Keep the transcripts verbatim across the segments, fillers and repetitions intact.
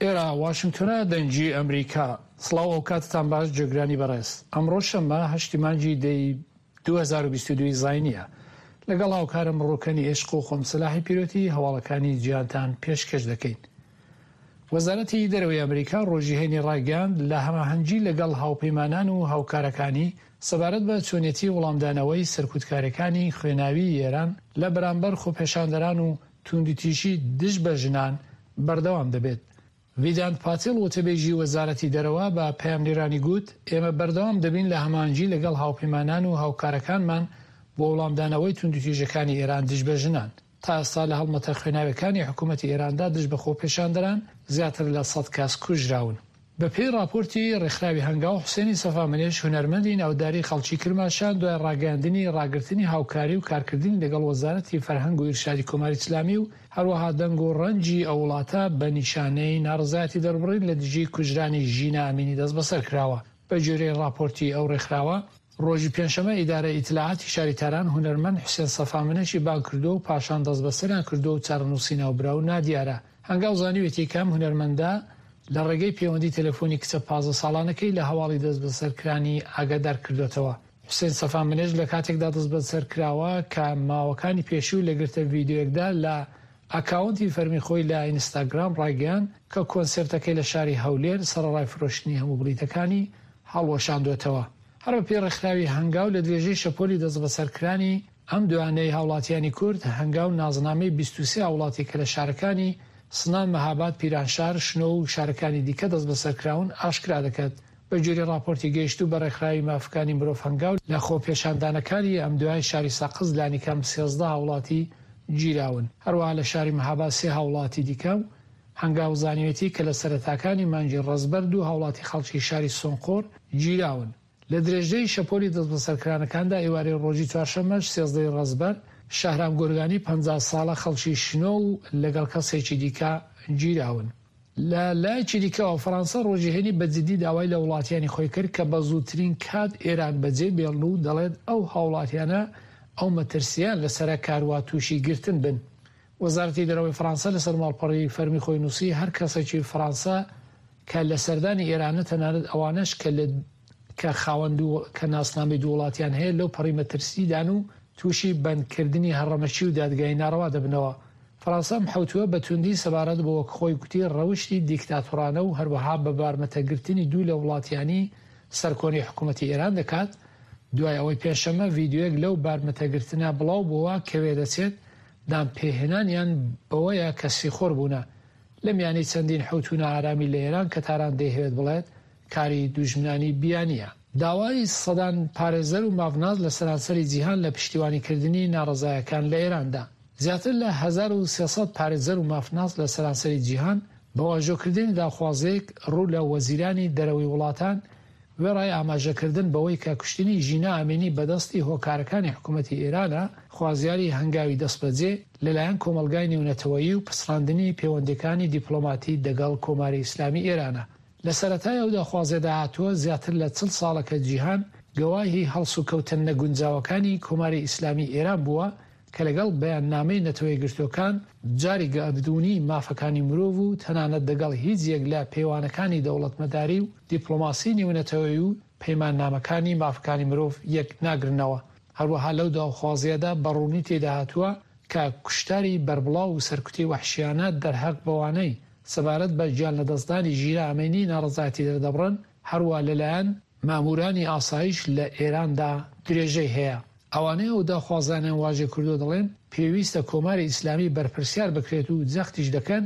ئێرە واشنگتۆنە، دەنگی ئەمریکا. سڵاو، ئەوکاتتان باش جێگرانی بەڕێز. ئەمڕۆ شەممە هەشتی مانگی دەی دوو هەزار و بیست و دوو زاینییە. لەگەڵ هاوکارم ڕوکەنی ئێشق و خۆم سەلاحی پیرۆتی هەواڵەکانی جیهانتان پێشکەش دەکەین. وەزارەتی دەرەوەی ئەمریکا ڕۆژی هەینی ڕایگەیاند لە هەماهەنگی لەگەڵ هاوپەیمانان و هاوکارەکانی سەبارەت بە چۆنیەتی وەڵامدانەوەی سەرکوتکاریەکانی خوێناویی ئێران لە بەرامبەر خۆپێشاندەران و توندوتیژی دژ بە ژنان بەردەوام دەبێت. ڤیدانت پاتیل وتەبێژی وەزارەتی دەرەوە بە پەیامنێرانی گوت، ئێمە بەردەوام دەبین لە هەماهەنگی لەگەڵ هاوپەیمانان و هاوکارەکانمان بۆ وەڵامدانەوەی توندوتیژەکانی ئێران دژ بە ژنان. تا ئێستا لە هەڵمەتە خوێناویەکانی حکوومەتی ئێراندا دژ بە خۆپێشاندەران زیاتر لە سەد کەس کوژراون. بەپێی ڕاپۆرتی ڕێکخراوی هەنگاو، حوسێنی سەفامنێش هونەرمەندی ناوداری خەڵکی کرماشان دوای ڕاگەیاندنی ڕاگرتنی هاوکاری و کارکردنی لەگەڵ وەزارەتی فەرهەنگ و ئیرشادی کۆماری ئیسلامی و هەروەها دەنگ و ڕەنگی ئەو وڵاتە بە نیشانەی ناڕەزایەتی دەربڕین لە دژی کوژرانی ژینا ئەمینی دەستبەسەر کراوە. بە گوێرەی ڕاپۆرتی ئەو ڕێکخراوە، ڕۆژی پێنجشەممە ئیدارەی ئیتلاعاتی شاری تاران هونەرمەند حوسێن سەفامنێشی بانگ کردووە و پاشان دەستبەسەریان کردووە و چارەنووسی ناوبراو نادیارە. هەنگاو زانیویەتی کە ئەم هونەرمەندە لە ڕێگەی پەیوەندی تەلەفۆنی کچە پازدە ساڵانەکەی لە هەواڵی دەستبەسەرکرانی ئاگادار کردووەتەوە. حوسێن سەفامنێش لە کاتێکدا دەستبەسەر کراوە کە ماوەکانی پێشوو لە گرتە ڤیدیۆیەکدا لە ئاکاونتی فەرمی خۆی لە ئینستاگرام ڕایگەیاند کە کۆنسێرتەکەی لە شاری هەولێر سەرەڕای فرۆشتنی هەموو بلیتەکانی هەڵوەشاندووەتەوە. هەر بەپێی ڕێکخراوی هەنگاو لە درێژەی شەپۆلی دەستبەسەرکرانی ئەم دوانەی هاوڵاتیانی کورد، هەنگاو نازنامەی بیست و سێ هاوڵاتی کە لە شارەکانی سنە، مەهاباد، پیرانشار، شنۆ و شارەکانی دیکە دەستبەسەرکراون ئاشکرا دەکات. بە گوێرەی ڕاپۆرتی گەیشتوو بە ڕێکخراوی مافەکانی مرۆڤ هەنگاو لە خۆپێشاندانەکانی ئەمدوای شاری سەقز لانیکەم سێزدە هاوڵاتی گیراون. هەروەها لە شاری مەهاباد سێ هاوڵاتی دیکە و هەنگاو زانیوێتی کە لە سەرەتاکانی مانگی ڕەزبەر دوو هاوڵاتی خەڵکی شاری سۆنقۆر گیراون. لە درێژەی شەپۆلی دەستبەسەرکرانەکاندا ئێوارەی ڕۆژی چوارشەممەش سێزدە ی ڕەزبەر شەهرام گۆرگانی پەنجا ساڵە خەڵکی شنۆ و لەگەڵ کەسێکی دیکە گیراون. لە لایەکی دیکەوە فەرەنسا ڕۆژی هەینی بە جدی داوای لە وڵاتیانی خۆی کرد کە بە زووترین کات ئێران بەجێ بێڵن و دەڵێت ئەو هاوڵاتیانە ئەو مەترسییان لەسەرە کاروا تووشی گرتن بن. وەزارەتی دەرەوەی فەرەنسا لەسەر ماڵپەڕی فەرمی خۆی نووسی هەر کەسێکی فەرەنسا کە لە سەردانی ئێرانە تەنانەت ئەوانەش کە لە کە خاوەن دوو کە ناسنامەی دوو وڵاتیان هەیە لەو پەڕی مەترسیدان و تووشی بەندکردنی هەڕەمەکی و دادگای ناڕەوا دەبنەوە. فەرەنسا ئەم حەوتووە بە توندی سەبارەت بە وەک خۆی گوتی ڕەوشی دیکتاتۆرانە و هەروەها بە بارمتەگرتنی دوو لە وڵاتیانی سەرکۆنەی حکوومەتی ئێران دەکات دوای ئەوەی پێنجشەممە ڤیدیۆیەک لەو بارمتەگرتنە بڵاو بۆوە کە وێدەچێت دانپێهێنانیان بەوەیە کە سیخۆر بوونە لە میانەی چەندین حەوتوو نائارامی لە ئێران کە تاران دەیهەوێت بڵێت کاری دوژمنانی بیانییە. داوای سەدان پارێزەر و مافناس لە سەرانسەری جیهان لە پشتیوانیکردنی ناڕەزایەکان لە ئێراندا. زیاتر لە هەزار و سێ سەد پارێزەر و مافناس لە سەرانسەری جیهان بە واژۆکردنی داخوازییەک ڕوو لە وەزیرانی دەرەوەی وڵاتان وێڕای ئاماژەکردن بەوەی کە کوشتنی ژینا ئەمینی بەدەستی هۆکارەکانی حکوومەتی ئێرانە، خوازیاری هەنگاوی دەستبەجێ لەلایەن کۆمەڵگای نێونەتەوەیی و پچڕاندنی پێوەندییەکانی دیپڵۆماتی دەگەڵ کۆماری ئیسلامی ئێرانە. لە سەرەتای ئەو داخوازیەدا هاتووە، زیاتر لە چل ساڵە کە جیهان گەواهی هەڵسوکەوتە نەگونجاوەکانی کۆماری ئیسلامی ئێران بووە کە لەگەڵ بەیاننامەی نەتەوەیەکگرتووەکان، جاری گەردوونی مافەکانی مرۆڤ و تەنانەت دەگەڵ هیچ یەک لە پێوانەکانی دەوڵەتمەداری و دیپڵۆماسی نێونەتەوەیی و پەیماننامەکانی مافەکانی مرۆڤ یەک ناگرنەوە. هەروەها لەو داوخوازیەدا بە ڕوونی تێدا هاتووە کە کوشتاری بەربڵاو و سەرکوتی وەحشیانە دەرهەق بەوانەی سەبارەت بە گیانلەدەستدانی ژینا ئەمینی ناڕەزایەتی دەردەبڕن هەروا لەلایەن ماموورانی ئاسایش لە ئێراندا درێژەی هەیە. ئەوانەی ئەو داخوازانەیان واژێ کردووە دەڵێن پێویستە کۆماری ئیسلامی بەرپرسیار بکرێت و جەختیش دەکەن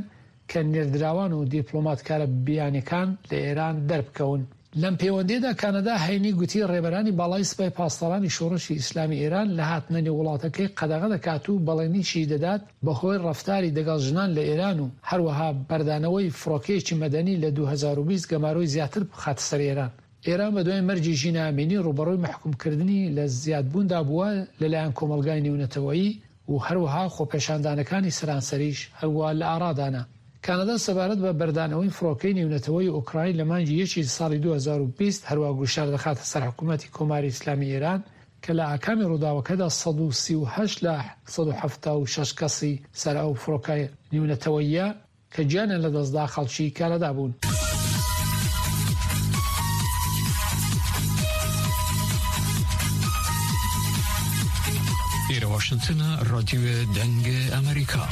کە نێردراوان و دیپڵۆماتکارە بیانیەکان لە ئێران دەربکەون. لەم پێوەندییەدا کانەدا هەینی گوتی ڕێبەرانی باڵای سپای پاسدارانی شۆڕشی ئیسلامی ئێران لە هاتنە نێو وڵاتەکەی قەدەغە دەکات و بەڵێنیشی دەدات بەهۆی ڕەفتاری دەگەڵ ژنان لە ئێران و هەروەها بەردانەوەی فڕۆکەیەکی مەدەنی لە دوو هەزار و بیست گەمارۆی زیاتر بخاتە سەر ئێران. ئێران بەدوای مەرگی ژینا ئەمینی ڕووبەڕووی مەحکوومکردنی لە زیادبووندا بووە لەلایەن کۆمەڵگای نێونەتەوەیی و هەروەها خۆپێشاندانەکانی سەرانسەریش هەروا لە ئارادانە. کانەدا سەبارەت بە بەردانەوەی فڕۆکەی نێونەتەوەیی ئۆکراین لە مانگی یەکی ساڵی دوو هەزار و بیست هەروا گوشار دەخاتە سەر حکوومەتی کۆماری ئیسلامی ئێران کە لە ئاکامی ڕووداوەکەدا سەد و سی و هەشت لە سەد و حەفتا و شەش کەسی سەر ئەو فڕۆکە نیونەتەوەیە کە گیانیان لەدەستدا خەڵکی کەنەدا بوون. ئێرە واشنگتنە، رادیۆ دەنگ ئەمریکا.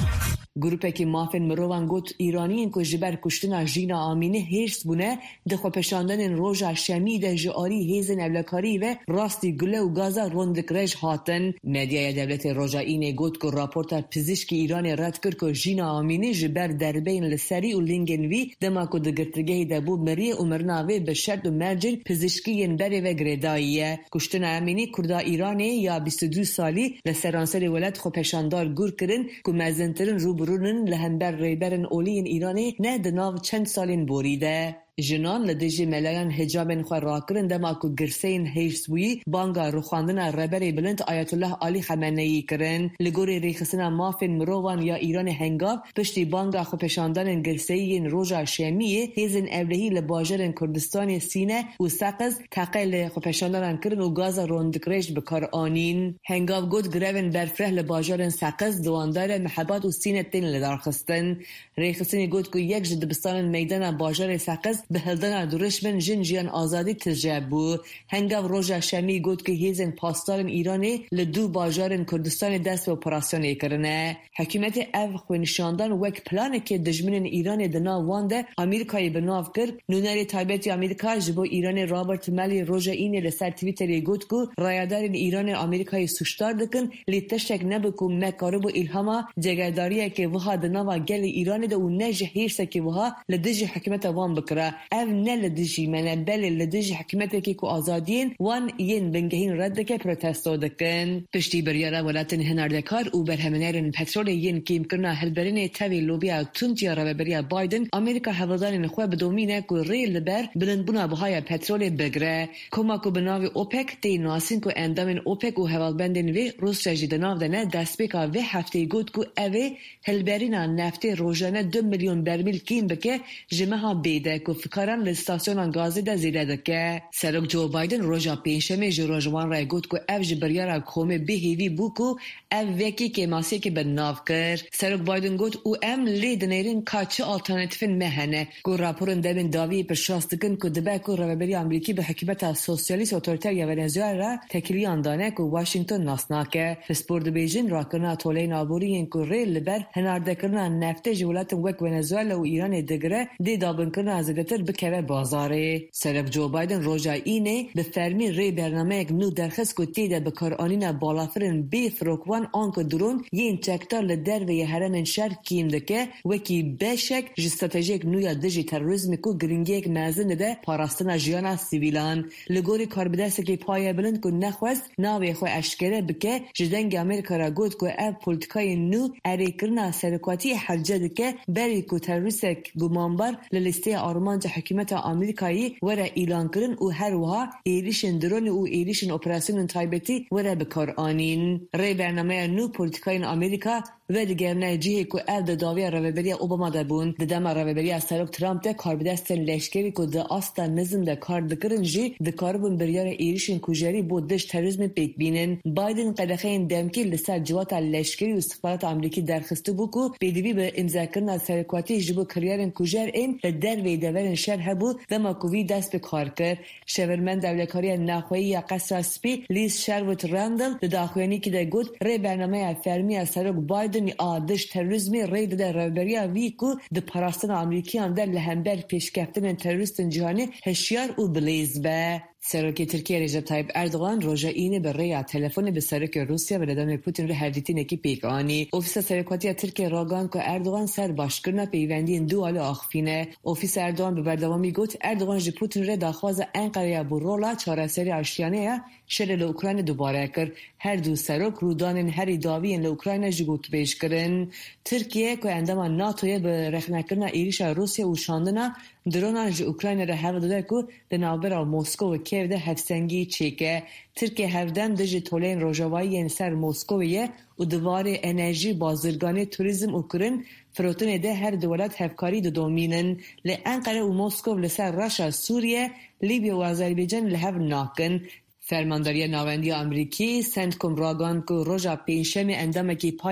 گروپێکی مافên mirovan got Îraniyên ku ji ber kuştina Jîna Amînî hêrs bûne di xwepêşandanên roja şemî de ji alî hêzên ewlekarî ve rastî gule û gaza rondikrêj hatin. Medyaya dewletê roja Înê got ku raporta pizîşkî Îranê red kir ku Jîna Amînî ji ber derbeyên li serî û lingên wî dema ku di girtîgehê de bû miriye û mirina wê bi şert û mercên pizîşkî yên berê ve girêdayî ye. Kuştina Amînî Kurda Îranê ya bîst û du salî li seranserê welat xwepêşandar gur kirin ku mezintirin rûbirû li hember rêberên oliyên Îranê ne di nav çend salên borî de. Jinan li dijî melayan hicabên xwe rakirin dema ku girseyên hêrsbûyî banga rûxandina rêberê bilind Ayetullah Alî Xameneyî kirin. Li gorî rêxistina mafên mirovan ya Îranê hengav piştî banga xwepêşandanên girseyî yên roja şemiyê hêzên ewlehî li bajarên Kurdistanê Sîne û Seqiz teqe li xwepêşandanan kirin û gaza rondikrêj bi kar anîn. Hengav got grevên berfireh li bajarên Seqiz, Diwandare, Mihebat û Sîne tên lidarxistin. Rêxistinê got ku yek ji dibistanên meydana bajarê Seqiz bi hildana durişmên jin jiyan azadî tije bû. Hengav roja şemî got ku hêzên pasdarên Îranê li du bajarên Kurdistanê dest bi operasyonê kirine. Hikûmetê ev xwenîşandan wek planekê dijminên Îranê di nav wan de Amerîkayê bi nav kir. Nûnerê taybetî Amerîka ji bo Îranê Robert Malley roja Înê li ser Twitterê got ku rayedarên Îranê Amerîkayê sûcdar dikin lê tiştek nebû ku me karibû îlhama cegerdariyekê wiha di nava gelê Îranê de û ne ji hêrsekê wiha li dijî hikûmeta wan bikira. Ev ne li dijî me ne belê li dijî hikûmetekê ku azadiyên wan yên bingehîn red dike protesto dikin. Piştî biryara welatên hinardekar û berhemînerên petrolê yên kêmkirina hilberînê tevî lobiya tund ya rêveberiya Biden, Amerîka hewldanên xwe bidomîne ku rê li ber bilindbûna bihaya petrolê bigire. Koma ku bi navê OPEC tê nasîn ku endamên OPEC û hevalbendên wê Rûsya jî di nav de ne destpêka vê hefteyê got ku ev ê hilberîna neftê rojane du milyon bermîl kêm bike ji meha bê de ku fikaran li stasyonan gazê de zêde dike. Serok Joe Biden roja pêncşemê ji rojwan re got ku ev ji biryara komê bêhêvî bû ku ev vekî kêmasiyekê bi nav kir. Serok Biden got û em lê dinêrin ka çi alternatîfên me hene ku raporên demên dawiyê piştrast dikin ku dibe ku rêveberiya Amerîkî bi hikûmeta sosyalîst otoriter ya Venezuela re tekiliyan dane ku Washington nas nake. Pispor dibêjin rakirina toleyên aborî yên ku rê li ber hinardekirina neftê ji welatên wek Venezuela û Îranê digire dê dabinkirina zêdetir bikeve bazarê. Serok Joe Biden roja Înê bi fermî rê bernameyek nû derxist ku tê de bikaranîna balafirên bê firokvan an ku drone yên çekdar li derveyê herêmên şer kêm dike wekî beşek ji stratejiyek nû ya dijî terorîzmê ku giringiyek mezin dide parastina jiyana sivîlan. Li gorî karbidestekî paye bilind ku nexwest navê xwe eşkere bike ji dengê Amerîka re got ku ev polîtikayên nû erêkirina serokatiyê hewce dike berî ku terorîstek gumanbar li lîsteya armanca hikûmeta Amerîkayê were îlankirin û her wiha êrişên dronê û êrişên operasyonên taybetî were bikaranîn. Rê bernameya nû polîtikayên Amerîka vedigerine cihê ku ev di dawiya rêveberiya Obama de bûn. Di dema rêveberiya Serok Trump de karbidestên leşkerî ku di asta nizm de kar dikirin jî dikaribûn biryara êrişên kujerî bo dij terorîzmê pêk bînin. Biden qedexeyên demkî li ser civata leşkerî û îstixbarata Amerîkî derxistibû ku pêdivî bi îmzekirina serokatiyê ji bo kiryarên kujer ên li derveyê deverên şer hebû dema ku wî dest bi kar kir. Şêwirmenda Ewlekariya Navxweyî ya Qesra Spî Liz Sherwood Randall di daxuyaniyekê de got rê bernameya fermî ya Serok Biden a dij terorîzmê rê dide rêveberiya wî ku di parastina Amerîkiyan de li hember pêşkeftinên terorîstên cîhanê hişyar û bilêz be. Serokê Tirkiye Recep Tayyip Erdogan roja Înê bi rêya telefonê bi Serokê Rûsya Vladimir Putin re hevdîtinekî pêk anî. Ofîsa Serokatiya Tirkiye ragihand ku Erdogan ser başkirina peywendiyên du alî axivîne. Ofîsa Erdogan bi berdewamî got Erdogan ji Putin re daxwaza Enqereya bo rola çareseriya aştiyane ya şerê li Ukrayna dubare kir. Her du serok rûdanên herî dawî yên li Ukrayna jî gotûbêj kirin. Tirkiye ku endama NATOyê bi rexnekirina êrişa Rûsya û şandina dronan ji Ukrayna re hewl dide ku di navbera Moskow û Kiev de hevsengî çêke. Tirkiye hevdem dijî toleyên rojavayî yên ser Moskowê ye û di warê enerjî, bazirganî, turîzm û kirin firotinê de her du welat hevkarî didomînin. Lê Enqere û Moskow li ser reşa Sûriye, Lîbya û Azerbaycan li hev nakin. Fermandariya Navendî ya Amerîkî CENTCOM ragihand ku roja pêncşemê endamekî